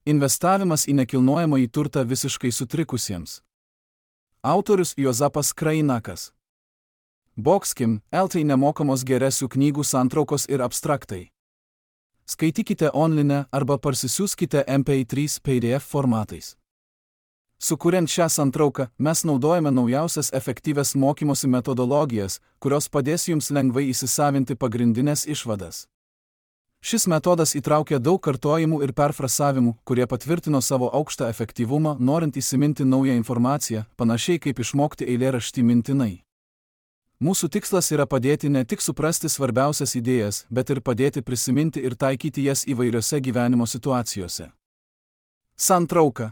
Investavimas į nekilnojamąjį turtą visiškai sutrikusiems. Autorius Juozapas Krainakas. Boxkim, LT nemokamos geresių knygų santraukos ir abstraktai. Skaitykite online arba parsisiųskite MP3 PDF formatais. Sukuriant šią santrauką, mes naudojame naujausias efektyvias mokymosi metodologijas, kurios padės jums lengvai įsisavinti pagrindinės išvadas. Šis metodas įtraukia daug kartojimų ir perfrasavimų, kurie patvirtino savo aukštą efektyvumą, norint įsiminti naują informaciją, panašiai kaip išmokti eilėraštį mintinai. Mūsų tikslas yra padėti ne tik suprasti svarbiausias idėjas, bet ir padėti prisiminti ir taikyti jas įvairiose gyvenimo situacijose. Santrauka.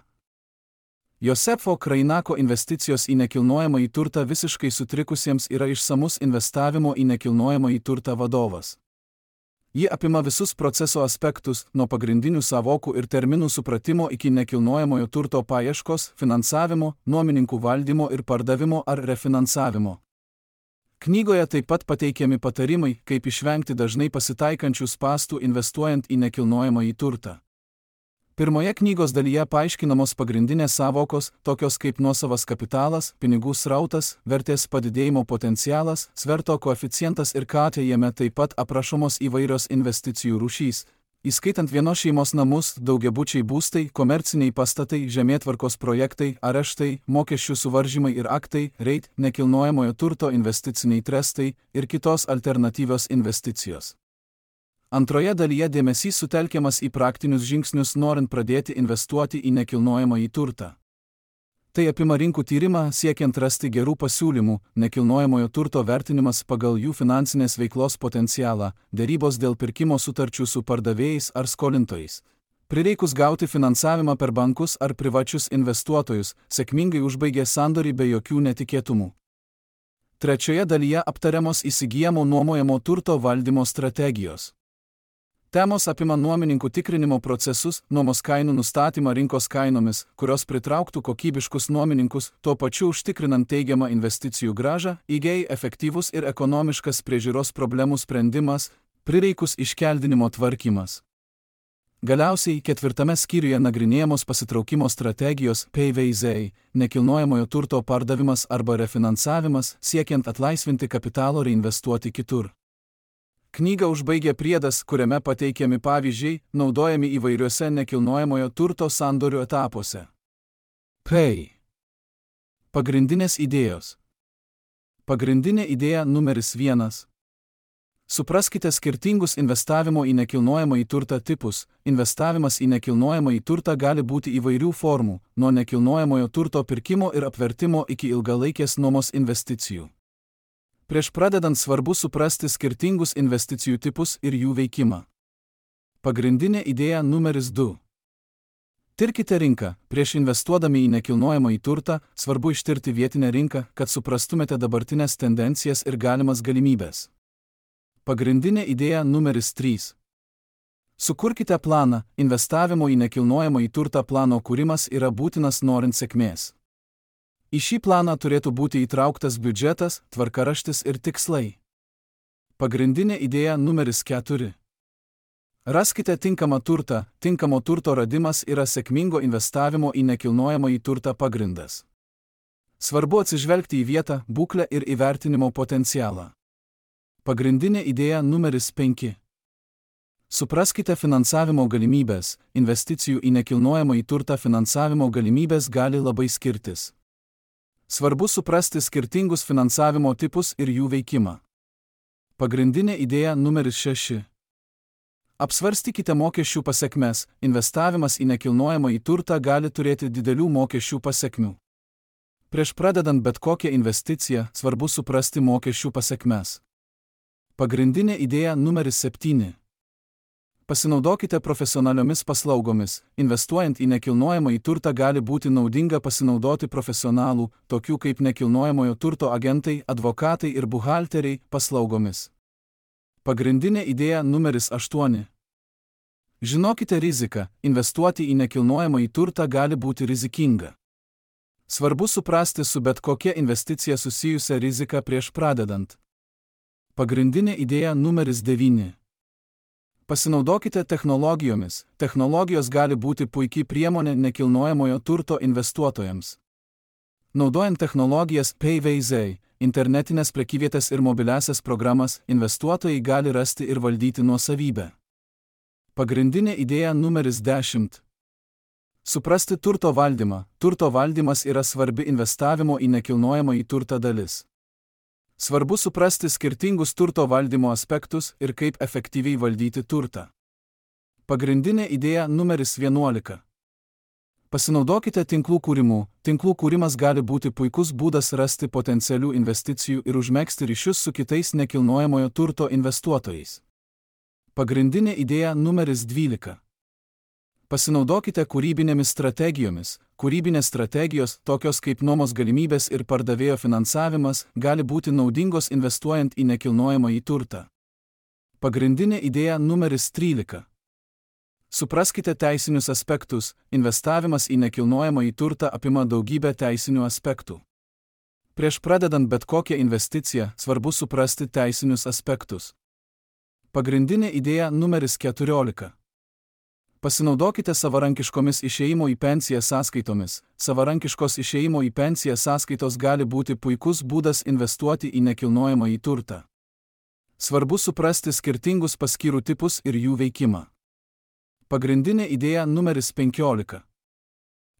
Josefo Krainako investicijos į nekilnojamąjį turtą visiškai sutrikusiems yra išsamus investavimo į nekilnojamąjį turtą vadovas. Ji apima visus proceso aspektus, nuo pagrindinių savokų ir terminų supratimo iki nekilnojamojo turto paieškos, finansavimo, nuomininkų valdymo ir pardavimo ar refinansavimo. Knygoje taip pat pateikiami patarimai, kaip išvengti dažnai pasitaikančių spąstų investuojant į nekilnojamąjį turtą. Pirmoje knygos dalyje paaiškinamos pagrindinės savokos, tokios kaip nuosavas kapitalas, pinigų srautas, vertės padidėjimo potencialas, sverto koeficientas ir KT. Jame taip pat aprašomos įvairios investicijų rūšys, įskaitant vienos šeimos namus, daugiabučiai būstai, komerciniai pastatai, žemėtvarkos projektai, areštai, mokesčių suvaržymai ir aktai, REIT, nekilnojamojo turto investiciniai trestai ir kitos alternatyvios investicijos. Antroje dalyje dėmesys sutelkiamas į praktinius žingsnius norint pradėti investuoti į nekilnojamąjį turtą. Tai apima rinkų tyrimą siekiant rasti gerų pasiūlymų, nekilnojamojo turto vertinimas pagal jų finansinės veiklos potencialą, derybos dėl pirkimo sutarčių su pardavėjais ar skolintojais. Prireikus gauti finansavimą per bankus ar privačius investuotojus, sėkmingai užbaigė sandorį be jokių netikėtumų. Trečioje dalyje aptariamos įsigijamo nuomojamo turto valdymo strategijos. Temos apima nuomininkų tikrinimo procesus, nuomos kainų nustatymą rinkos kainomis, kurios pritrauktų kokybiškus nuomininkus, tuo pačiu užtikrinant teigiamą investicijų grąžą, įgei efektyvus ir ekonomiškas priežiūros problemų sprendimas, prireikus iškeldinimo tvarkymas. Galiausiai ketvirtame skyriuje nagrinėjamos pasitraukimo strategijos PVZ, nekilnojamojo turto pardavimas arba refinansavimas, siekiant atlaisvinti kapitalo reinvestuoti kitur. Knygą užbaigia priedas, kuriame pateikiami pavyzdžiai, naudojami įvairiuose nekilnojamojo turto sandorių etapuose. Pagrindinės idėjos. Pagrindinė idėja numeris 1. Supraskite skirtingus investavimo į nekilnojamąjį turtą tipus. Investavimas į nekilnojamąjį turtą gali būti įvairių formų, nuo nekilnojamojo turto pirkimo ir apvertimo iki ilgalaikės nuomos investicijų. Prieš pradedant svarbu suprasti skirtingus investicijų tipus ir jų veikimą. Pagrindinė idėja numeris 2. Tirkite rinką. Prieš investuodami į nekilnojamąjį turtą, svarbu ištirti vietinę rinką, kad suprastumėte dabartinės tendencijas ir galimas galimybės. Pagrindinė idėja numeris 3. Sukurkite planą. Investavimo į nekilnojamąjį turtą plano kūrimas yra būtinas norint sėkmės. Į šį planą turėtų būti įtrauktas biudžetas, tvarkaraštis ir tikslai. Pagrindinė idėja numeris 4. Raskite tinkamą turtą. Tinkamo turto radimas yra sėkmingo investavimo į nekilnojamąjį turtą pagrindas. Svarbu atsižvelgti į vietą, būklę ir įvertinimo potencialą. Pagrindinė idėja numeris 5. Supraskite finansavimo galimybės. Investicijų į nekilnojamąjį turtą finansavimo galimybės gali labai skirtis. Svarbu suprasti skirtingus finansavimo tipus ir jų veikimą. Pagrindinė idėja numeris 6. Apsvarstykite mokesčių pasekmes. Investavimas į nekilnojamąjį turtą gali turėti didelių mokesčių pasekmių. Prieš pradedant bet kokią investiciją, svarbu suprasti mokesčių pasekmes. Pagrindinė idėja numeris 7. Pasinaudokite profesionaliomis paslaugomis. Investuojant į nekilnojamąjį turtą gali būti naudinga pasinaudoti profesionalų, tokių kaip nekilnojamojo turto agentai, advokatai ir buhalteriai, paslaugomis. Pagrindinė idėja numeris 8. Žinokite riziką. Investuoti į nekilnojamąjį turtą gali būti rizikinga. Svarbu suprasti su bet kokia investicija susijusią riziką prieš pradedant. Pagrindinė idėja numeris 9. Pasinaudokite technologijomis. Technologijos gali būti puikiai priemonė nekilnojamojo turto investuotojams. Naudojant technologijas PayVZ, internetinės prekyvietės ir mobiliasias programas, investuotojai gali rasti ir valdyti nuosavybę. Pagrindinė idėja numeris 10. Suprasti turto valdymą. Turto valdymas yra svarbi investavimo į nekilnojamąjį turtą dalis. Svarbu suprasti skirtingus turto valdymo aspektus ir kaip efektyviai valdyti turtą. Pagrindinė idėja numeris 11. Pasinaudokite tinklų kūrimu. Tinklų kūrimas gali būti puikus būdas rasti potencialių investicijų ir užmegzti ryšius su kitais nekilnojamojo turto investuotojais. Pagrindinė idėja numeris 12. Pasinaudokite kūrybinėmis strategijomis. Kūrybinės strategijos, tokios kaip nuomos galimybės ir pardavėjo finansavimas, gali būti naudingos investuojant į nekilnojamąjį turtą. Pagrindinė idėja numeris 13. Supraskite teisinius aspektus. Investavimas į nekilnojamąjį turtą apima daugybę teisinių aspektų. Prieš pradedant bet kokią investiciją, svarbu suprasti teisinius aspektus. Pagrindinė idėja numeris 14. Pasinaudokite savarankiškomis išėjimo į pensiją sąskaitomis. Savarankiškos išėjimo į pensiją sąskaitos gali būti puikus būdas investuoti į nekilnojamąjį turtą. Svarbu suprasti skirtingus paskyrų tipus ir jų veikimą. Pagrindinė idėja numeris 15.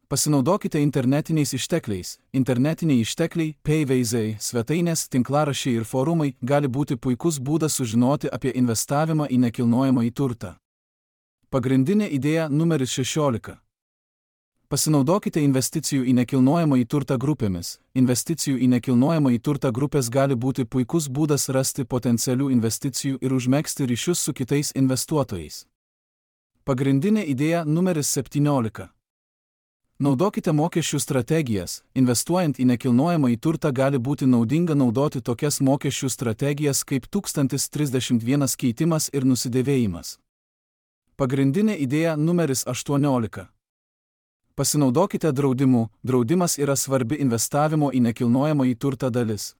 Pasinaudokite internetiniais ištekliais. Internetiniai ištekliai, PayVZ, svetainės, tinklaraščiai ir forumai gali būti puikus būdas sužinoti apie investavimą į nekilnojamąjį turtą. Pagrindinė idėja numeris 16. Pasinaudokite investicijų į nekilnojamąjį turtą grupėmis. Investicijų į nekilnojamąjį turtą grupės gali būti puikus būdas rasti potencialių investicijų ir užmegzti ryšius su kitais investuotojais. Pagrindinė idėja numeris 17. Naudokite mokesčių strategijas. Investuojant į nekilnojamąjį turtą gali būti naudinga naudoti tokias mokesčių strategijas kaip 1031 keitimas ir nusidėvėjimas. Pagrindinė idėja numeris 18. Pasinaudokite draudimu. Draudimas yra svarbi investavimo į nekilnojamąjį turtą dalis.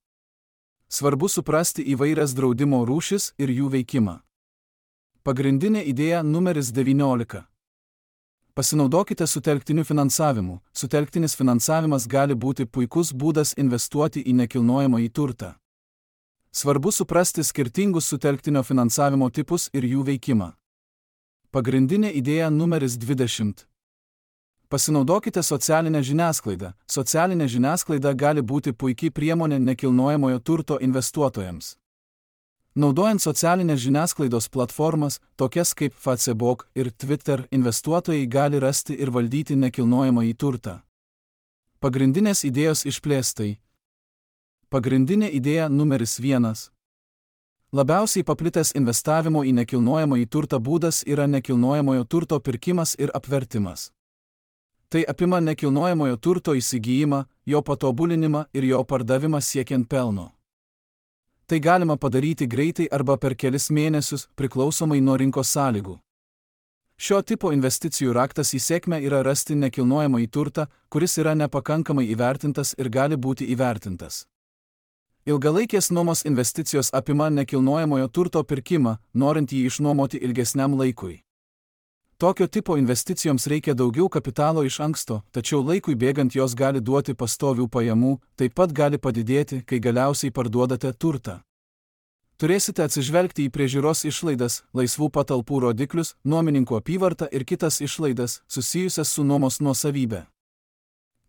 Svarbu suprasti įvairias draudimo rūšis ir jų veikimą. Pagrindinė idėja numeris 19. Pasinaudokite sutelktiniu finansavimu. Sutelktinis finansavimas gali būti puikus būdas investuoti į nekilnojamąjį turtą. Svarbu suprasti skirtingus sutelktinio finansavimo tipus ir jų veikimą. Pagrindinė idėja numeris 20. Pasinaudokite socialinę žiniasklaidą. Socialinė žiniasklaida gali būti puikiai priemonė nekilnojamojo turto investuotojams. Naudojant socialinės žiniasklaidos platformas, tokias kaip Facebook ir Twitter, investuotojai gali rasti ir valdyti nekilnojamąjį turtą. Pagrindinės idėjos išplėstai. Pagrindinė idėja numeris 1. Labiausiai paplitęs investavimo į nekilnojamąjį turtą būdas yra nekilnojamojo turto pirkimas ir apvertimas. Tai apima nekilnojamojo turto įsigijimą, jo patobulinimą ir jo pardavimą siekiant pelno. Tai galima padaryti greitai arba per kelis mėnesius, priklausomai nuo rinkos sąlygų. Šio tipo investicijų raktas į sėkmę yra rasti nekilnojamąjį turtą, kuris yra nepakankamai įvertintas ir gali būti įvertintas. Ilgalaikės nuomos investicijos apima nekilnojamojo turto pirkimą, norint jį išnuomoti ilgesniam laikui. Tokio tipo investicijoms reikia daugiau kapitalo iš anksto, tačiau laikui bėgant jos gali duoti pastovių pajamų, taip pat gali padidėti, kai galiausiai parduodate turtą. Turėsite atsižvelgti į priežiūros išlaidas, laisvų patalpų rodiklius, nuomininkų apyvartą ir kitas išlaidas, susijusias su nuomos nuosavybė.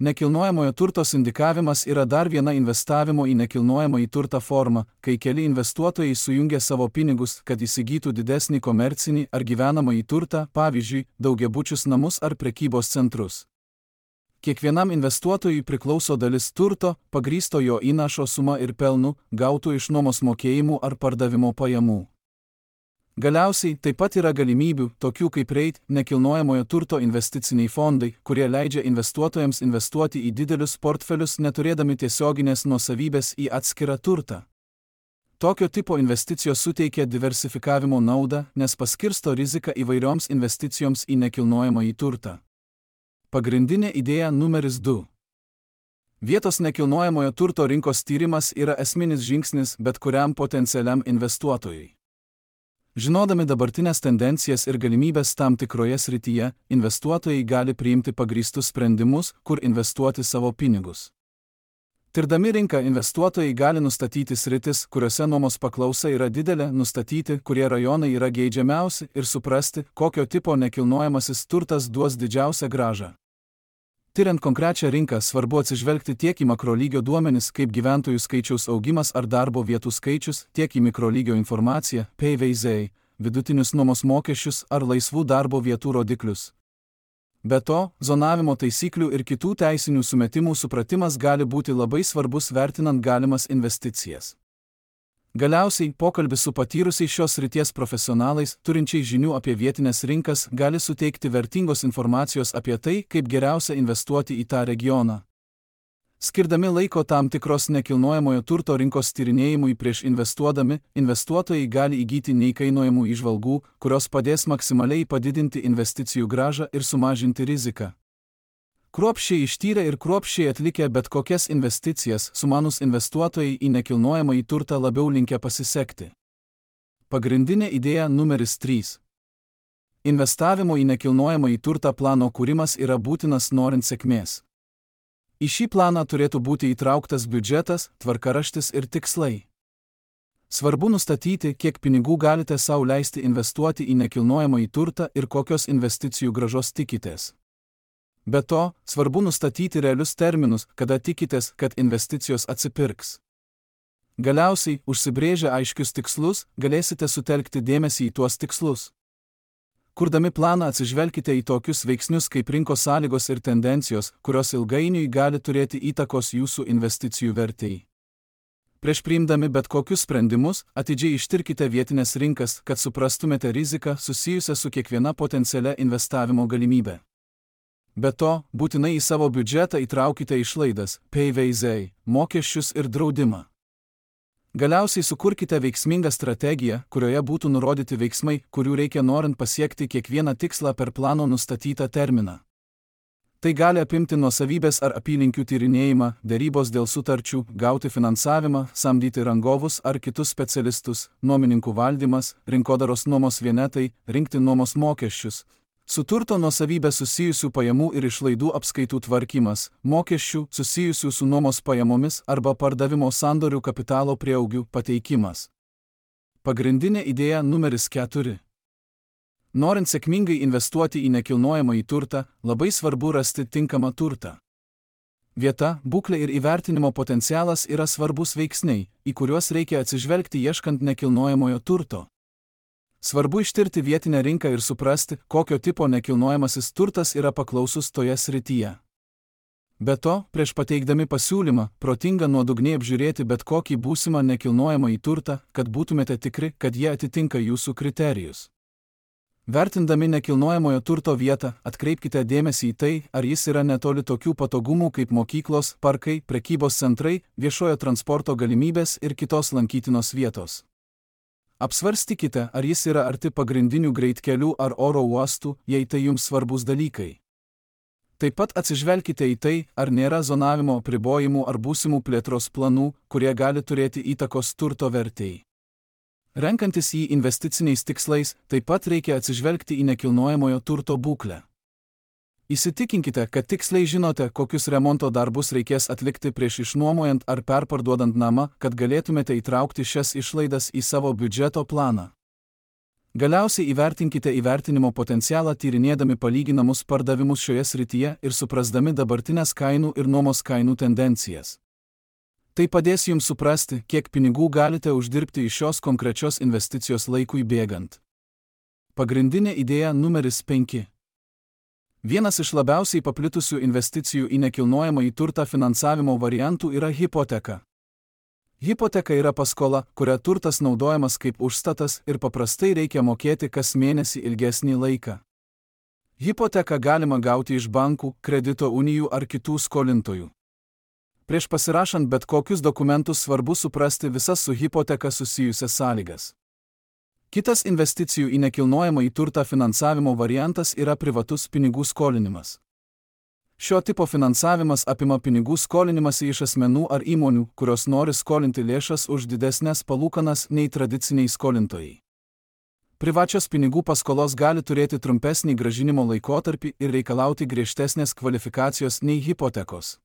Nekilnojamojo turto sindikavimas yra dar viena investavimo į nekilnojamąjį turtą forma, kai keli investuotojai sujungia savo pinigus, kad įsigytų didesnį komercinį ar gyvenamąjį turtą, pavyzdžiui, daugiabučius namus ar prekybos centrus. Kiekvienam investuotojui priklauso dalis turto, pagrįsto jo įnašo suma ir pelnu, gautų iš nuomos mokėjimų ar pardavimo pajamų. Galiausiai taip pat yra galimybių, tokių kaip REIT, nekilnojamojo turto investiciniai fondai, kurie leidžia investuotojams investuoti į didelius portfelius neturėdami tiesioginės nuosavybės į atskirą turtą. Tokio tipo investicijos suteikia diversifikavimo naudą, nes paskirsto riziką įvairioms investicijoms į nekilnojamąjį turtą. Pagrindinė idėja numeris 2. Vietos nekilnojamojo turto rinkos tyrimas yra esminis žingsnis bet kuriam potencialiam investuotojui. Žinodami dabartinės tendencijas ir galimybės tam tikroje srityje, investuotojai gali priimti pagrįstus sprendimus, kur investuoti savo pinigus. Tirdami rinką, investuotojai gali nustatyti sritis, kuriuose nuomos paklausa yra didelė, nustatyti, kurie rajonai yra geidžiamiausi ir suprasti, kokio tipo nekilnojamasis turtas duos didžiausią grąžą. Tiriant konkrečią rinką, svarbu atsižvelgti tiek į makrolygio duomenis, kaip gyventojų skaičiaus augimas ar darbo vietų skaičius, tiek į mikrolygio informaciją, PVZ, vidutinius nuomos mokesčius ar laisvų darbo vietų rodiklius. Be to, zonavimo taisyklių ir kitų teisinių sumetimų supratimas gali būti labai svarbus vertinant galimas investicijas. Galiausiai, pokalbis su patyrusiais šios srities profesionalais, turinčiais žinių apie vietinės rinkas, gali suteikti vertingos informacijos apie tai, kaip geriausia investuoti į tą regioną. Skirdami laiko tam tikros nekilnojamojo turto rinkos tyrinėjimui prieš investuodami, investuotojai gali įgyti neįkainojamų įžvalgų, kurios padės maksimaliai padidinti investicijų grąžą ir sumažinti riziką. Kruopščiai ištyrę ir kruopščiai atlikę bet kokias investicijas, sumanūs investuotojai į nekilnojamąjį turtą labiau linkę pasisekti. Pagrindinė idėja numeris 3. Investavimo į nekilnojamąjį turtą plano kūrimas yra būtinas norint sėkmės. Į šį planą turėtų būti įtrauktas biudžetas, tvarkaraštis ir tikslai. Svarbu nustatyti, kiek pinigų galite sau leisti investuoti į nekilnojamąjį turtą ir kokios investicijų grąžos tikitės. Be to, svarbu nustatyti realius terminus, kada tikitės, kad investicijos atsipirks. Galiausiai, užsibrėžę aiškius tikslus, galėsite sutelkti dėmesį į tuos tikslus. Kurdami planą atsižvelkite į tokius veiksnius kaip rinkos sąlygos ir tendencijos, kurios ilgainiui gali turėti įtakos jūsų investicijų vertei. Prieš priimdami bet kokius sprendimus, atidžiai ištirkite vietinės rinkas, kad suprastumėte riziką susijusią su kiekviena potencialia investavimo galimybė. Be to, būtinai į savo biudžetą įtraukite išlaidas, PVZ, mokesčius ir draudimą. Galiausiai sukurkite veiksmingą strategiją, kurioje būtų nurodyti veiksmai, kurių reikia norint pasiekti kiekvieną tikslą per plano nustatytą terminą. Tai gali apimti nuosavybės ar apylinkių tyrinėjimą, derybos dėl sutarčių, gauti finansavimą, samdyti rangovus ar kitus specialistus, nuomininkų valdymas, rinkodaros nuomos vienetai, rinkti nuomos mokesčius, su turto nuosavybė susijusių pajamų ir išlaidų apskaitų tvarkymas, mokesčių susijusių su nuomos pajamomis arba pardavimo sandorių kapitalo prieaugių pateikimas. Pagrindinė idėja numeris 4. Norint sėkmingai investuoti į nekilnojamąjį turtą, labai svarbu rasti tinkamą turtą. Vieta, būklė ir įvertinimo potencialas yra svarbus veiksniai, į kuriuos reikia atsižvelgti ieškant nekilnojamojo turto. Svarbu ištirti vietinę rinką ir suprasti, kokio tipo nekilnojamasis turtas yra paklausus toje srityje. Be to, prieš pateikdami pasiūlymą, protinga nuodugniai apžiūrėti bet kokį būsimą nekilnojamąjį turtą, kad būtumėte tikri, kad jie atitinka jūsų kriterijus. Vertindami nekilnojamojo turto vietą, atkreipkite dėmesį į tai, ar jis yra netoli tokių patogumų kaip mokyklos, parkai, prekybos centrai, viešojo transporto galimybės ir kitos lankytinos vietos. Apsvarstykite, ar jis yra arti pagrindinių greitkelių ar oro uostų, jei tai jums svarbus dalykai. Taip pat atsižvelkite į tai, ar nėra zonavimo apribojimų ar būsimų plėtros planų, kurie gali turėti įtakos turto vertei. Renkantis jį investiciniais tikslais, taip pat reikia atsižvelgti į nekilnojamojo turto būklę. Įsitikinkite, kad tiksliai žinote, kokius remonto darbus reikės atlikti prieš išnuomojant ar perparduodant namą, kad galėtumėte įtraukti šias išlaidas į savo biudžeto planą. Galiausiai įvertinkite įvertinimo potencialą tyrinėdami palyginamus pardavimus šioje srityje ir suprasdami dabartinės kainų ir nuomos kainų tendencijas. Tai padės jums suprasti, kiek pinigų galite uždirbti iš šios konkrečios investicijos laikui bėgant. Pagrindinė idėja numeris 5. Vienas iš labiausiai paplitusių investicijų į nekilnojamąjį turtą finansavimo variantų yra hipoteka. Hipoteka yra paskola, kuria turtas naudojamas kaip užstatas ir paprastai reikia mokėti kas mėnesį ilgesnį laiką. Hipoteką galima gauti iš bankų, kredito unijų ar kitų skolintojų. Prieš pasirašant bet kokius dokumentus svarbu suprasti visas su hipoteka susijusias sąlygas. Kitas investicijų į nekilnojamąjį turtą finansavimo variantas yra privatus pinigų skolinimas. Šio tipo finansavimas apima pinigų skolinimąsi iš asmenų ar įmonių, kurios nori skolinti lėšas už didesnės palūkanas nei tradiciniai skolintojai. Privačios pinigų paskolos gali turėti trumpesnį grąžinimo laikotarpį ir reikalauti griežtesnės kvalifikacijos nei hipotekos.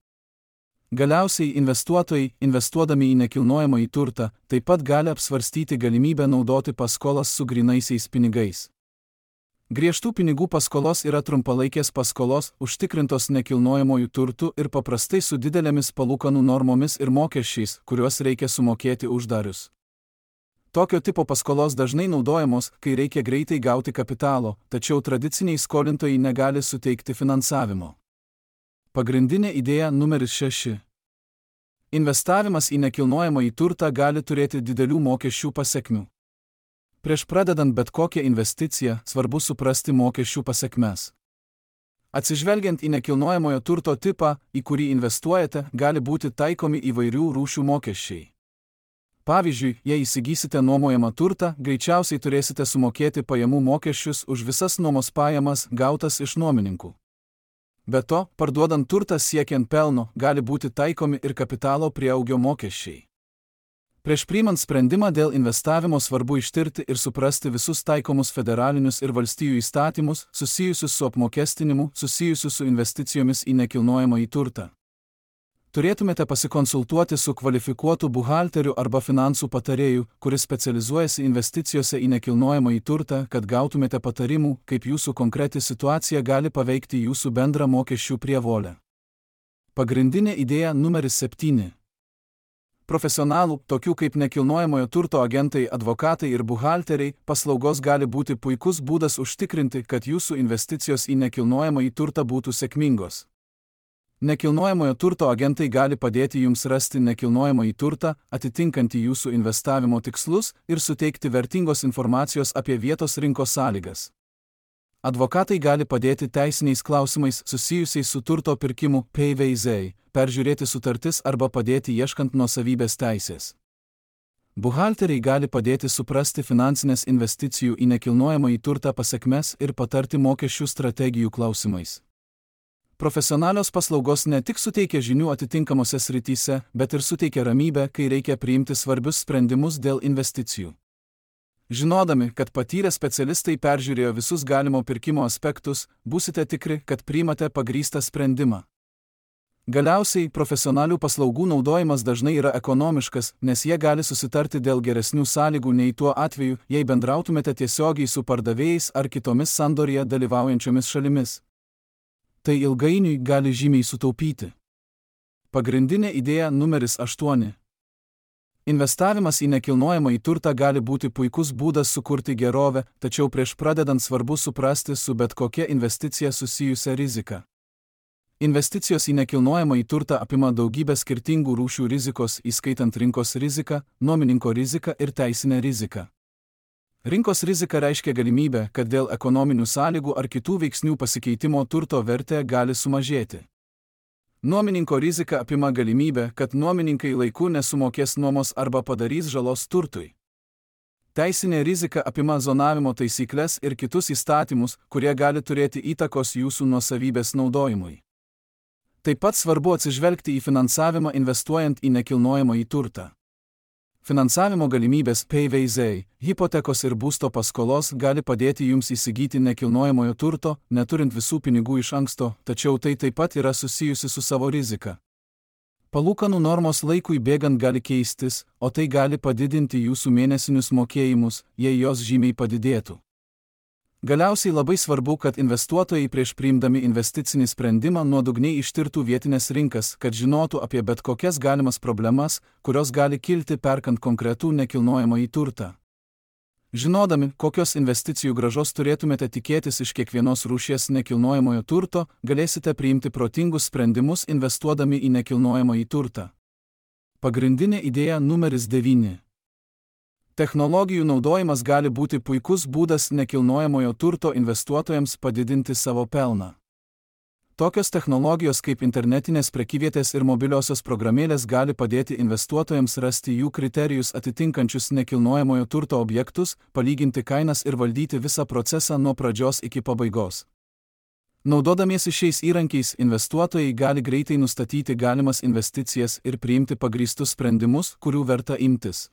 Galiausiai investuotojai, investuodami į nekilnojamąjį turtą, taip pat gali apsvarstyti galimybę naudoti paskolas su grynaisiais pinigais. Griežtų pinigų paskolos yra trumpalaikės paskolos, užtikrintos nekilnojamojų turtų ir paprastai su didelėmis palūkanų normomis ir mokesčiais, kuriuos reikia sumokėti uždarius. Tokio tipo paskolos dažnai naudojamos, kai reikia greitai gauti kapitalo, tačiau tradiciniai skolintojai negali suteikti finansavimo. Pagrindinė idėja numeris 6. Investavimas į nekilnojamąjį turtą gali turėti didelių mokesčių pasekmių. Prieš pradedant bet kokią investiciją, svarbu suprasti mokesčių pasekmes. Atsižvelgiant į nekilnojamojo turto tipą, į kurį investuojate, gali būti taikomi įvairių rūšių mokesčiai. Pavyzdžiui, jei įsigysite nuomojamą turtą, greičiausiai turėsite sumokėti pajamų mokesčius už visas nuomos pajamas gautas iš nuomininkų. Be to, parduodant turtą siekiant pelno, gali būti taikomi ir kapitalo prieaugio mokesčiai. Prieš priimant sprendimą dėl investavimo svarbu ištirti ir suprasti visus taikomus federalinius ir valstijų įstatymus, susijusius su apmokestinimu, susijusius su investicijomis į nekilnojamąjį turtą. Turėtumėte pasikonsultuoti su kvalifikuotu buhalteriu arba finansų patarėju, kuris specializuojasi investicijose į nekilnojamąjį turtą, kad gautumėte patarimų, kaip jūsų konkreti situacija gali paveikti jūsų bendrą mokesčių prievolę. Pagrindinė idėja numeris 7. Profesionalų, tokių kaip nekilnojamojo turto agentai, advokatai ir buhalteriai, paslaugos gali būti puikus būdas užtikrinti, kad jūsų investicijos į nekilnojamąjį turtą būtų sėkmingos. Nekilnojamojo turto agentai gali padėti jums rasti nekilnojamąjį turtą, atitinkantį jūsų investavimo tikslus ir suteikti vertingos informacijos apie vietos rinkos sąlygas. Advokatai gali padėti teisiniais klausimais susijusiais su turto pirkimu PVZ, peržiūrėti sutartis arba padėti ieškant nuosavybės teisės. Buhalteriai gali padėti suprasti finansinės investicijų į nekilnojamąjį turtą pasekmes ir patarti mokesčių strategijų klausimais. Profesionalios paslaugos ne tik suteikia žinių atitinkamose srityse, bet ir suteikia ramybę, kai reikia priimti svarbius sprendimus dėl investicijų. Žinodami, kad patyrę specialistai peržiūrėjo visus galimo pirkimo aspektus, būsite tikri, kad priimate pagrįstą sprendimą. Galiausiai, profesionalių paslaugų naudojimas dažnai yra ekonomiškas, nes jie gali susitarti dėl geresnių sąlygų nei tuo atveju, jei bendrautumėte tiesiogiai su pardavėjais ar kitomis sandorėje dalyvaujančiomis šalimis. Tai ilgainiui gali žymiai sutaupyti. Pagrindinė idėja numeris 8. Investavimas į nekilnojamąjį turtą gali būti puikus būdas sukurti gerovę, tačiau prieš pradedant svarbu suprasti su bet kokia investicija susijusią riziką. Investicijos į nekilnojamąjį turtą apima daugybę skirtingų rūšių rizikos, įskaitant rinkos riziką, nuomininko riziką ir teisinę riziką. Rinkos rizika reiškia galimybę, kad dėl ekonominių sąlygų ar kitų veiksnių pasikeitimo turto vertė gali sumažėti. Nuomininko rizika apima galimybę, kad nuomininkai laiku nesumokės nuomos arba padarys žalos turtui. Teisinė rizika apima zonavimo taisyklės ir kitus įstatymus, kurie gali turėti įtakos jūsų nuosavybės naudojimui. Taip pat svarbu atsižvelgti į finansavimą investuojant į nekilnojamąjį turtą. Finansavimo galimybės PVZ, hipotekos ir būsto paskolos gali padėti jums įsigyti nekilnojamojo turto, neturint visų pinigų iš anksto, tačiau tai taip pat yra susijusi su savo rizika. Palūkanų normos laikui bėgant gali keistis, o tai gali padidinti jūsų mėnesinius mokėjimus, jei jos žymiai padidėtų. Galiausiai labai svarbu, kad investuotojai prieš priimdami investicinį sprendimą nuodugniai ištirtų vietinės rinkas, kad žinotų apie bet kokias galimas problemas, kurios gali kilti perkant konkretų nekilnojamąjį turtą. Žinodami, kokios investicijų grąžos turėtumėte tikėtis iš kiekvienos rūšies nekilnojamojo turto, galėsite priimti protingus sprendimus investuodami į nekilnojamąjį turtą. Pagrindinė idėja numeris 9. Technologijų naudojimas gali būti puikus būdas nekilnojamojo turto investuotojams padidinti savo pelną. Tokios technologijos kaip internetinės prekyvietės ir mobiliosios programėlės gali padėti investuotojams rasti jų kriterijus atitinkančius nekilnojamojo turto objektus, palyginti kainas ir valdyti visą procesą nuo pradžios iki pabaigos. Naudodamiesi šiais įrankiais, investuotojai gali greitai nustatyti galimas investicijas ir priimti pagrįstus sprendimus, kurių verta imtis.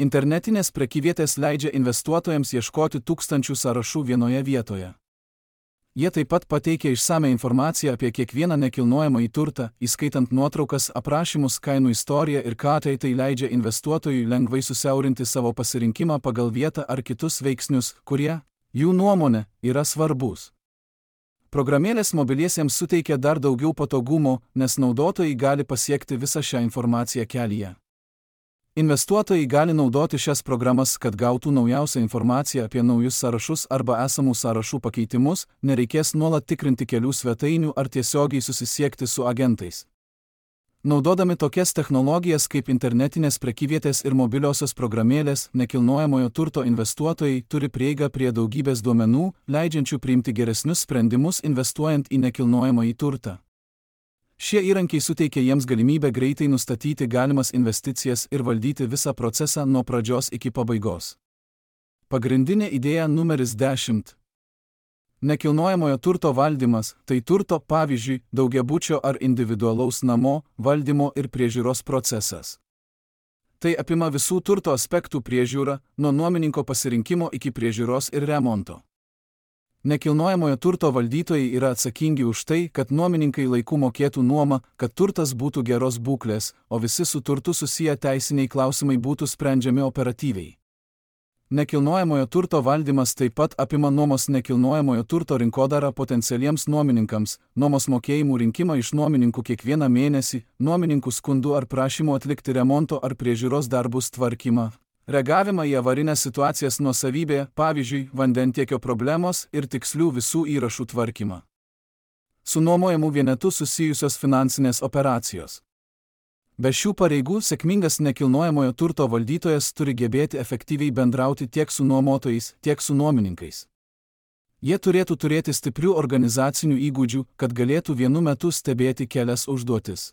Internetinės prekyvietės leidžia investuotojams ieškoti tūkstančių sąrašų vienoje vietoje. Jie taip pat pateikia išsame informaciją apie kiekvieną nekilnojamąjį turtą, įskaitant nuotraukas, aprašymus, kainų istoriją ir ką tai leidžia investuotojui lengvai susiaurinti savo pasirinkimą pagal vietą ar kitus veiksnius, kurie, jų nuomone, yra svarbus. Programėlės mobiliesiems suteikia dar daugiau patogumo, nes naudotojai gali pasiekti visą šią informaciją kelyje. Investuotojai gali naudoti šias programas, kad gautų naujausią informaciją apie naujus sąrašus arba esamų sąrašų pakeitimus, nereikės nuolat tikrinti kelių svetainių ar tiesiogiai susisiekti su agentais. Naudodami tokias technologijas kaip internetinės prekyvietės ir mobiliosios programėlės, nekilnojamojo turto investuotojai turi prieigą prie daugybės duomenų, leidžiančių priimti geresnius sprendimus investuojant į nekilnojamąjį turtą. Šie įrankiai suteikia jiems galimybę greitai nustatyti galimas investicijas ir valdyti visą procesą nuo pradžios iki pabaigos. Pagrindinė idėja numeris 10. Nekilnojamojo turto valdymas – tai turto, pavyzdžiui, daugiabučio ar individualaus namo, valdymo ir priežiūros procesas. Tai apima visų turto aspektų priežiūrą, nuo nuomininko pasirinkimo iki priežiūros ir remonto. Nekilnojamojo turto valdytojai yra atsakingi už tai, kad nuomininkai laiku mokėtų nuomą, kad turtas būtų geros būklės, o visi su turtu susiję teisiniai klausimai būtų sprendžiami operatyviai. Nekilnojamojo turto valdymas taip pat apima nuomos nekilnojamojo turto rinkodarą potencialiems nuomininkams, nuomos mokėjimų rinkimą iš nuomininkų kiekvieną mėnesį, nuomininkų skundų ar prašymų atlikti remonto ar priežiūros darbus tvarkymą. Reagavimą į avarinės situacijas nuosavybėje, pavyzdžiui, vandentiekio problemos ir tikslių visų įrašų tvarkymą. Su nuomojamų vienetu susijusios finansinės operacijos. Be šių pareigų sėkmingas nekilnojamojo turto valdytojas turi gebėti efektyviai bendrauti tiek su nuomotojais, tiek su nuomininkais. Jie turėtų turėti stiprių organizacinių įgūdžių, kad galėtų vienu metu stebėti kelias užduotis.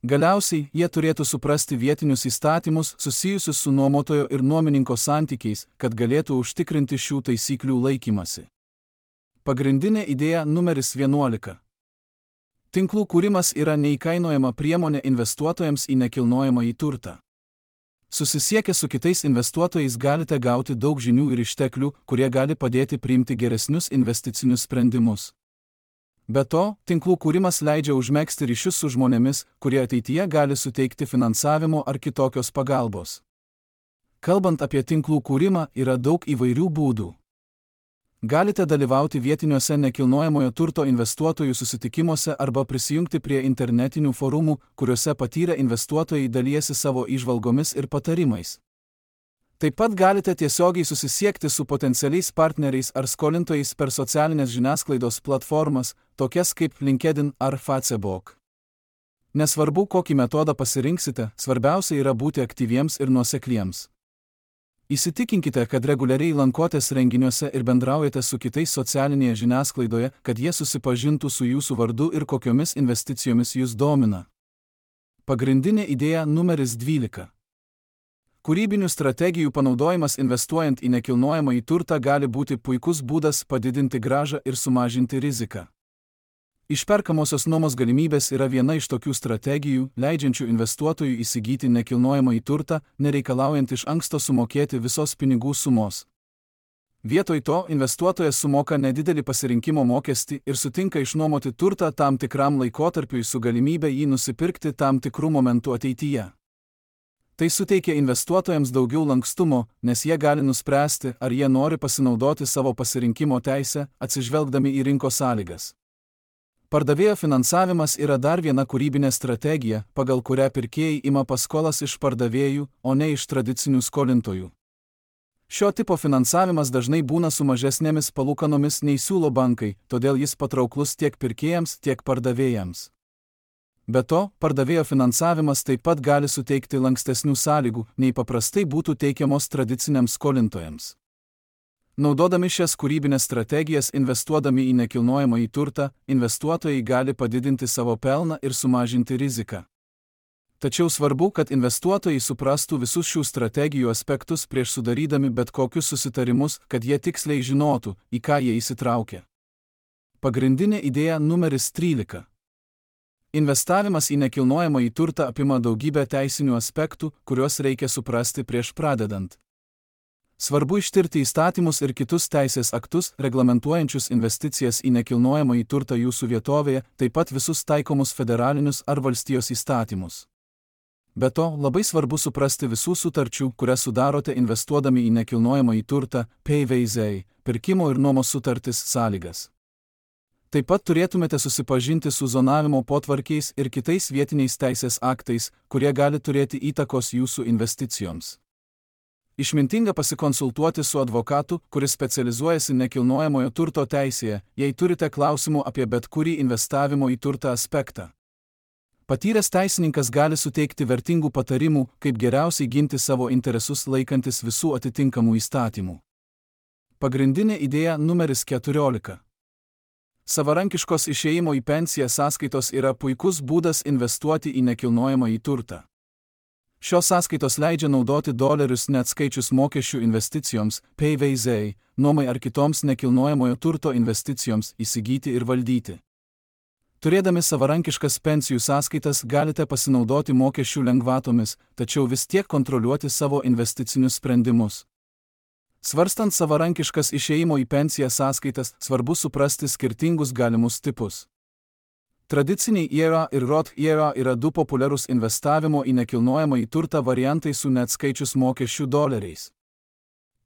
Galiausiai, jie turėtų suprasti vietinius įstatymus susijusius su nuomotojo ir nuomininko santykiais, kad galėtų užtikrinti šių taisyklių laikymasi. Pagrindinė idėja numeris 11. Tinklų kūrimas yra neįkainojama priemonė investuotojams į nekilnojamąjį turtą. Susisiekę su kitais investuotojais galite gauti daug žinių ir išteklių, kurie gali padėti priimti geresnius investicinius sprendimus. Be to, tinklų kūrimas leidžia užmegzti ryšius su žmonėmis, kurie ateityje gali suteikti finansavimo ar kitokios pagalbos. Kalbant apie tinklų kūrimą, yra daug įvairių būdų. Galite dalyvauti vietiniuose nekilnojamojo turto investuotojų susitikimuose arba prisijungti prie internetinių forumų, kuriuose patyrę investuotojai dalijasi savo įžvalgomis ir patarimais. Taip pat galite tiesiogiai susisiekti su potencialiais partneriais ar skolintojais per socialinės žiniasklaidos platformas, tokias kaip LinkedIn ar Facebook. Nesvarbu, kokį metodą pasirinksite, svarbiausia yra būti aktyviems ir nuosekliems. Įsitikinkite, kad reguliariai lankotės renginiuose ir bendraujate su kitais socialinėje žiniasklaidoje, kad jie susipažintų su jūsų vardu ir kokiomis investicijomis jūs domina. Pagrindinė idėja numeris 12. Kūrybinių strategijų panaudojimas investuojant į nekilnojamąjį turtą gali būti puikus būdas padidinti grąžą ir sumažinti riziką. Išperkamosios nuomos galimybės yra viena iš tokių strategijų, leidžiančių investuotojui įsigyti nekilnojamąjį turtą, nereikalaujant iš anksto sumokėti visos pinigų sumos. Vietoj to investuotojas sumoka nedidelį pasirinkimo mokestį ir sutinka išnuomoti turtą tam tikram laikotarpiui su galimybė jį nusipirkti tam tikrų momentų ateityje. Tai suteikia investuotojams daugiau lankstumo, nes jie gali nuspręsti, ar jie nori pasinaudoti savo pasirinkimo teisę, atsižvelgdami į rinkos sąlygas. Pardavėjo finansavimas yra dar viena kūrybinė strategija, pagal kurią pirkėjai ima paskolas iš pardavėjų, o ne iš tradicinių skolintojų. Šio tipo finansavimas dažnai būna su mažesnėmis palūkanomis nei siūlo bankai, todėl jis patrauklus tiek pirkėjams, tiek pardavėjams. Be to, pardavėjo finansavimas taip pat gali suteikti lankstesnių sąlygų, nei paprastai būtų teikiamos tradiciniams skolintojams. Naudodami šias kūrybinės strategijas investuodami į nekilnojamąjį turtą, investuotojai gali padidinti savo pelną ir sumažinti riziką. Tačiau svarbu, kad investuotojai suprastų visus šių strategijų aspektus prieš sudarydami bet kokius susitarimus, kad jie tiksliai žinotų, į ką jie įsitraukia. Pagrindinė idėja numeris 13. Investavimas į nekilnojamąjį turtą apima daugybę teisinių aspektų, kuriuos reikia suprasti prieš pradedant. Svarbu ištirti įstatymus ir kitus teisės aktus, reglamentuojančius investicijas į nekilnojamąjį turtą jūsų vietovėje, taip pat visus taikomus federalinius ar valstijos įstatymus. Be to, labai svarbu suprasti visų sutarčių, kurias sudarote investuodami į nekilnojamąjį turtą, PVZ, pirkimo ir nuomos sutartis sąlygas. Taip pat turėtumėte susipažinti su zonavimo potvarkiais ir kitais vietiniais teisės aktais, kurie gali turėti įtakos jūsų investicijoms. Išmintinga pasikonsultuoti su advokatu, kuris specializuojasi nekilnojamojo turto teisėje, jei turite klausimų apie bet kurį investavimo į turtą aspektą. Patyręs teisininkas gali suteikti vertingų patarimų, kaip geriausiai ginti savo interesus laikantis visų atitinkamų įstatymų. Pagrindinė idėja numeris 14. Savarankiškos išėjimo į pensiją sąskaitos yra puikus būdas investuoti į nekilnojamąjį turtą. Šios sąskaitos leidžia naudoti dolerius neatskaičius mokesčių investicijoms, PVZ, nuomai ar kitoms nekilnojamojo turto investicijoms įsigyti ir valdyti. Turėdami savarankiškas pensijų sąskaitas galite pasinaudoti mokesčių lengvatomis, tačiau vis tiek kontroliuoti savo investicinius sprendimus. Svarstant savarankiškas išėjimo į pensiją sąskaitas, svarbu suprasti skirtingus galimus tipus. Tradiciniai IRA ir Roth IRA yra du populiarūs investavimo į nekilnojamąjį turtą variantai su neatskaičius mokesčių doleriais.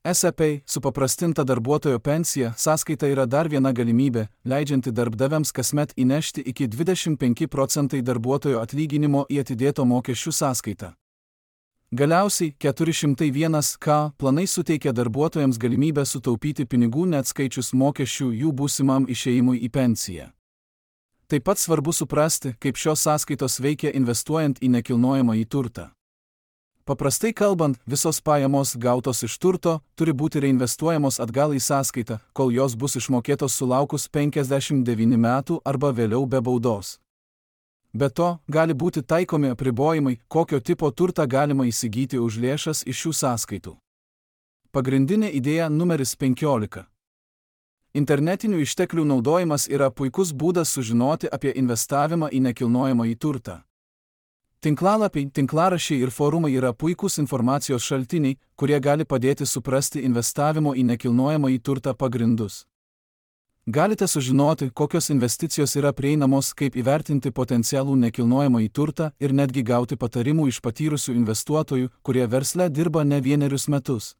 SEP, supaprastinta darbuotojo pensija, sąskaita yra dar viena galimybė, leidžianti darbdaviams kasmet įnešti iki 25% darbuotojo atlyginimo į atidėto mokesčių sąskaitą. Galiausiai 401k planai suteikia darbuotojams galimybę sutaupyti pinigų neatskaičius mokesčių jų būsimam išėjimui į pensiją. Taip pat svarbu suprasti, kaip šios sąskaitos veikia investuojant į nekilnojamąjį turtą. Paprastai kalbant, visos pajamos gautos iš turto turi būti reinvestuojamos atgal į sąskaitą, kol jos bus išmokėtos sulaukus 59 metų arba vėliau be baudos. Be to, gali būti taikomi apribojimai, kokio tipo turtą galima įsigyti už lėšas iš šių sąskaitų. Pagrindinė idėja numeris 15. Internetinių išteklių naudojimas yra puikus būdas sužinoti apie investavimą į nekilnojamąjį turtą. Tinklalapiai, tinklaraščiai ir forumai yra puikūs informacijos šaltiniai, kurie gali padėti suprasti investavimo į nekilnojamąjį turtą pagrindus. Galite sužinoti, kokios investicijos yra prieinamos, kaip įvertinti potencialų nekilnojamąjį turtą ir netgi gauti patarimų iš patyrusių investuotojų, kurie versle dirba ne vienerius metus.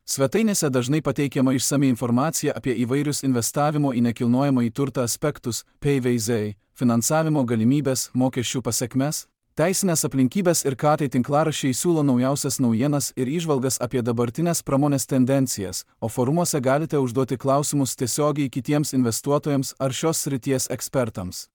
Svetainėse dažnai pateikiama išsami informacija apie įvairius investavimo į nekilnojamąjį turtą aspektus, PVZ, finansavimo galimybės, mokesčių pasekmes, teisinės aplinkybės ir ką tai tinklaraščiai siūlo naujausias naujienas ir įžvalgas apie dabartinės pramonės tendencijas, o forumuose galite užduoti klausimus tiesiogiai kitiems investuotojams ar šios srities ekspertams.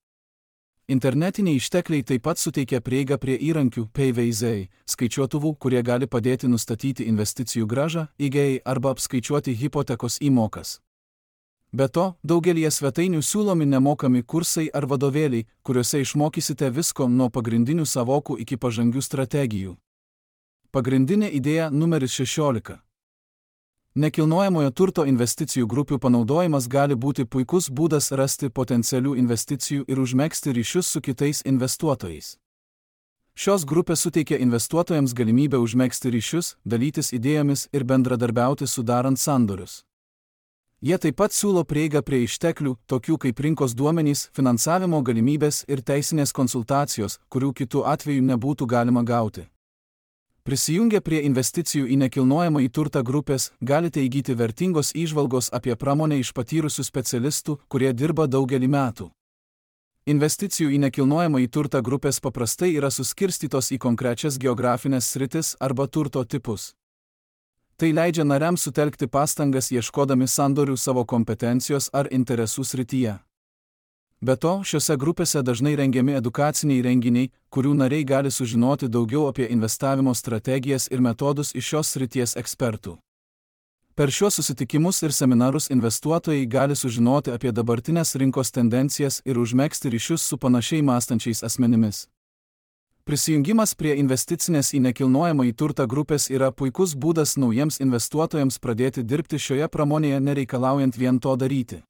Internetiniai ištekliai taip pat suteikia prieigą prie įrankių PVZ, skaičiuotuvų, kurie gali padėti nustatyti investicijų grąžą, IGA arba apskaičiuoti hipotekos įmokas. Be to, daugelįje svetainių siūlomi nemokami kursai ar vadovėliai, kuriuose išmokysite visko nuo pagrindinių sąvokų iki pažangių strategijų. Pagrindinė idėja numeris 16. Nekilnojamojo turto investicijų grupių panaudojimas gali būti puikus būdas rasti potencialių investicijų ir užmegzti ryšius su kitais investuotojais. Šios grupės suteikia investuotojams galimybę užmegzti ryšius, dalytis idėjomis ir bendradarbiauti sudarant sandorius. Jie taip pat siūlo prieigą prie išteklių, tokių kaip rinkos duomenys, finansavimo galimybės ir teisinės konsultacijos, kurių kitų atveju nebūtų galima gauti. Prisijungę prie investicijų į nekilnojamąjį turtą grupės, galite įgyti vertingos įžvalgos apie pramonę iš patyrusių specialistų, kurie dirba daugelį metų. Investicijų į nekilnojamąjį turtą grupės paprastai yra suskirstytos į konkrečias geografinės sritis arba turto tipus. Tai leidžia nariams sutelkti pastangas ieškodami sandorių savo kompetencijos ar interesų srityje. Be to, šiose grupėse dažnai rengiami edukaciniai renginiai, kurių nariai gali sužinoti daugiau apie investavimo strategijas ir metodus iš šios srities ekspertų. Per šiuos susitikimus ir seminarus investuotojai gali sužinoti apie dabartinės rinkos tendencijas ir užmegzti ryšius su panašiai mąstančiais asmenimis. Prisijungimas prie investicinės į nekilnojamąjį turtą grupės yra puikus būdas naujiems investuotojams pradėti dirbti šioje pramonėje nereikalaujant vien to daryti.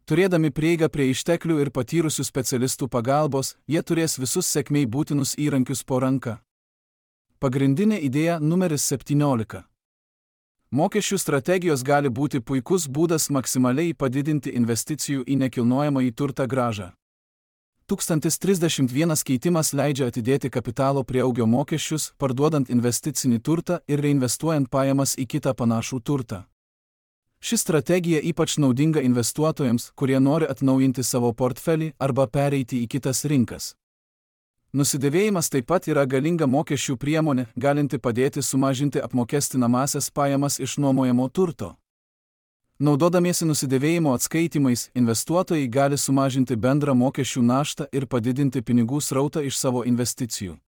Turėdami prieigą prie išteklių ir patyrusių specialistų pagalbos, jie turės visus sėkmei būtinus įrankius po ranka. Pagrindinė idėja numeris 17. Mokesčių strategijos gali būti puikus būdas maksimaliai padidinti investicijų į nekilnojamąjį turtą grąžą. 1031 keitimas leidžia atidėti kapitalo prieaugio mokesčius, parduodant investicinį turtą ir reinvestuojant pajamas į kitą panašų turtą. Ši strategija ypač naudinga investuotojams, kurie nori atnaujinti savo portfelį arba pereiti į kitas rinkas. Nusidėvėjimas taip pat yra galinga mokesčių priemonė, galinti padėti sumažinti apmokestinamąsias pajamas iš nuomojamo turto. Naudodamiesi nusidėvėjimo atskaitimais, investuotojai gali sumažinti bendrą mokesčių naštą ir padidinti pinigų srautą iš savo investicijų.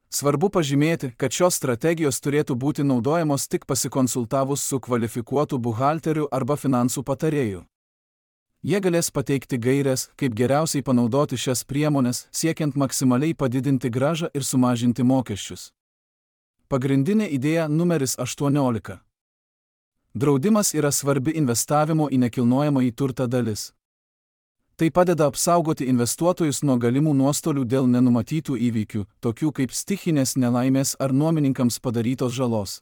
Svarbu pažymėti, kad šios strategijos turėtų būti naudojamos tik pasikonsultavus su kvalifikuotu buhalteriu arba finansų patarėju. Jie galės pateikti gaires, kaip geriausiai panaudoti šias priemones, siekiant maksimaliai padidinti grąžą ir sumažinti mokesčius. Pagrindinė idėja numeris 18. Draudimas yra svarbi investavimo į nekilnojamąjį turtą dalis. Tai padeda apsaugoti investuotojus nuo galimų nuostolių dėl nenumatytų įvykių, tokių kaip stichinės nelaimės ar nuomininkams padarytos žalos.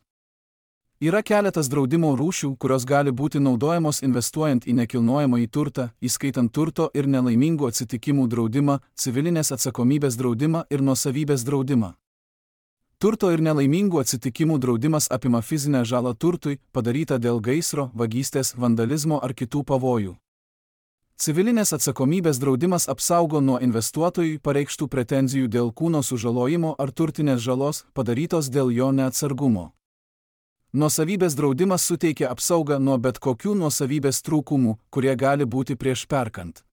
Yra keletas draudimo rūšių, kurios gali būti naudojamos investuojant į nekilnojamąjį turtą, įskaitant turto ir nelaimingų atsitikimų draudimą, civilinės atsakomybės draudimą ir nuosavybės draudimą. Turto ir nelaimingų atsitikimų draudimas apima fizinę žalą turtui, padarytą dėl gaisro, vagystės, vandalizmo ar kitų pavojų. Civilinės atsakomybės draudimas apsaugo nuo investuotojui pareikštų pretenzijų dėl kūno sužalojimo ar turtinės žalos, padarytos dėl jo neatsargumo. Nuosavybės draudimas suteikia apsaugą nuo bet kokių nuosavybės trūkumų, kurie gali būti prieš perkant.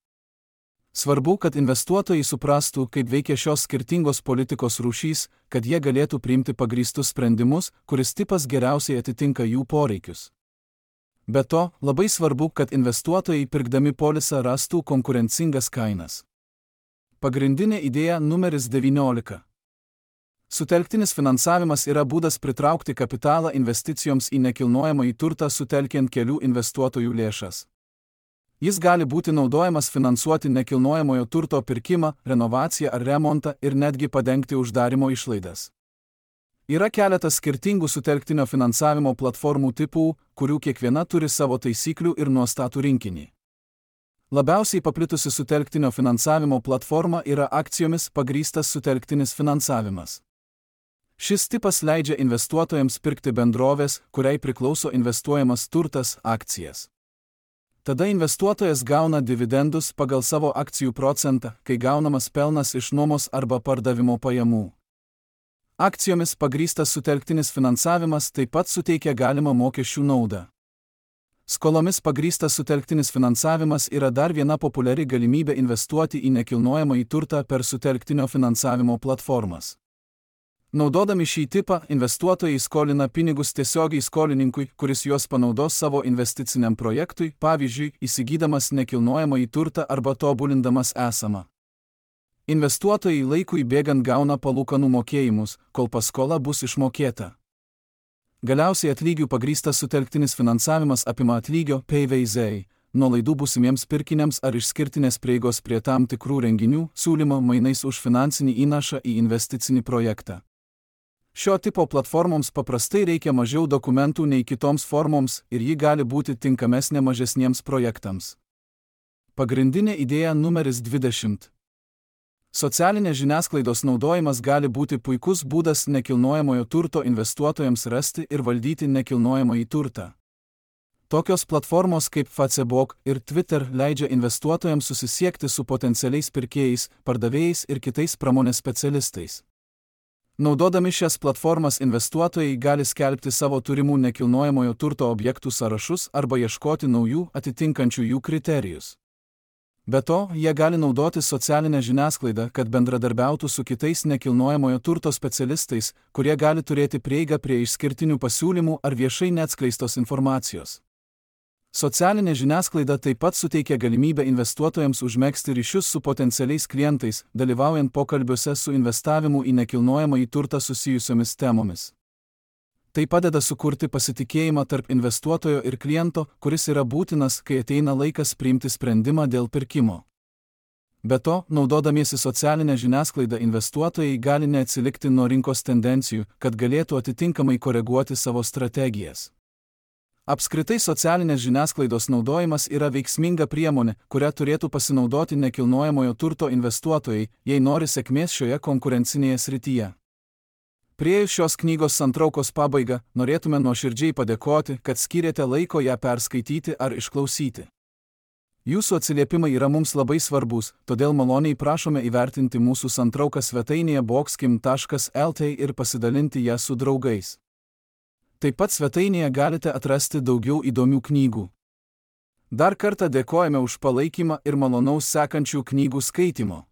Svarbu, kad investuotojai suprastų, kaip veikia šios skirtingos politikos rūšys, kad jie galėtų priimti pagrįstus sprendimus, kuris tipas geriausiai atitinka jų poreikius. Be to, labai svarbu, kad investuotojai pirkdami polisą rastų konkurencingas kainas. Pagrindinė idėja numeris 19. Sutelktinis finansavimas yra būdas pritraukti kapitalą investicijoms į nekilnojamąjį turtą sutelkiant kelių investuotojų lėšas. Jis gali būti naudojamas finansuoti nekilnojamojo turto pirkimą, renovaciją ar remontą ir netgi padengti uždarymo išlaidas. Yra keletas skirtingų sutelktinio finansavimo platformų tipų, kurių kiekviena turi savo taisyklių ir nuostatų rinkinį. Labiausiai paplitusi sutelktinio finansavimo platforma yra akcijomis pagrįstas sutelktinis finansavimas. Šis tipas leidžia investuotojams pirkti bendrovės, kuriai priklauso investuojamas turtas, akcijas. Tada investuotojas gauna dividendus pagal savo akcijų procentą, kai gaunamas pelnas iš nuomos arba pardavimo pajamų. Akcijomis pagrįstas sutelktinis finansavimas taip pat suteikia galimą mokesčių naudą. Skolomis pagrįstas sutelktinis finansavimas yra dar viena populiari galimybė investuoti į nekilnojamąjį turtą per sutelktinio finansavimo platformas. Naudodami šį tipą, investuotojai skolina pinigus tiesiogiai skolininkui, kuris juos panaudos savo investiciniam projektui, pavyzdžiui, įsigydamas nekilnojamąjį turtą arba tobulindamas esamą. Investuotojai laikui bėgant gauna palūkanų mokėjimus, kol paskola bus išmokėta. Galiausiai atlygių pagrįstas sutelktinis finansavimas apima atlygio PVZ, nuolaidų būsimiems pirkiniams ar išskirtinės prieigos prie tam tikrų renginių, siūlymo mainais už finansinį įnašą į investicinį projektą. Šio tipo platformoms paprastai reikia mažiau dokumentų nei kitoms formoms ir ji gali būti tinkamesnė mažesniems projektams. Pagrindinė idėja numeris 20. Socialinės žiniasklaidos naudojimas gali būti puikus būdas nekilnojamojo turto investuotojams rasti ir valdyti nekilnojamąjį turtą. Tokios platformos kaip Facebook ir Twitter leidžia investuotojams susisiekti su potencialiais pirkėjais, pardavėjais ir kitais pramonės specialistais. Naudodami šias platformas investuotojai gali skelbti savo turimų nekilnojamojo turto objektų sąrašus arba ieškoti naujų atitinkančių jų kriterijus. Be to, jie gali naudoti socialinę žiniasklaidą, kad bendradarbiautų su kitais nekilnojamojo turto specialistais, kurie gali turėti prieigą prie išskirtinių pasiūlymų ar viešai neatskleistos informacijos. Socialinė žiniasklaida taip pat suteikia galimybę investuotojams užmegzti ryšius su potencialiais klientais, dalyvaujant pokalbiuose su investavimu į nekilnojamąjį turtą susijusiomis temomis. Tai padeda sukurti pasitikėjimą tarp investuotojo ir kliento, kuris yra būtinas, kai ateina laikas priimti sprendimą dėl pirkimo. Be to, naudodamiesi socialinę žiniasklaidą investuotojai gali neatsilikti nuo rinkos tendencijų, kad galėtų atitinkamai koreguoti savo strategijas. Apskritai socialinės žiniasklaidos naudojimas yra veiksminga priemonė, kurią turėtų pasinaudoti nekilnojamojo turto investuotojai, jei nori sėkmės šioje konkurencinėje srityje. Priėjus šios knygos santraukos pabaigą, norėtume nuoširdžiai padėkoti, kad skyrėte laiko ją perskaityti ar išklausyti. Jūsų atsiliepimai yra mums labai svarbus, todėl maloniai prašome įvertinti mūsų santrauką svetainėje boxkim.lt ir pasidalinti ją su draugais. Taip pat svetainėje galite atrasti daugiau įdomių knygų. Dar kartą dėkojame už palaikymą ir malonaus sekančių knygų skaitymo.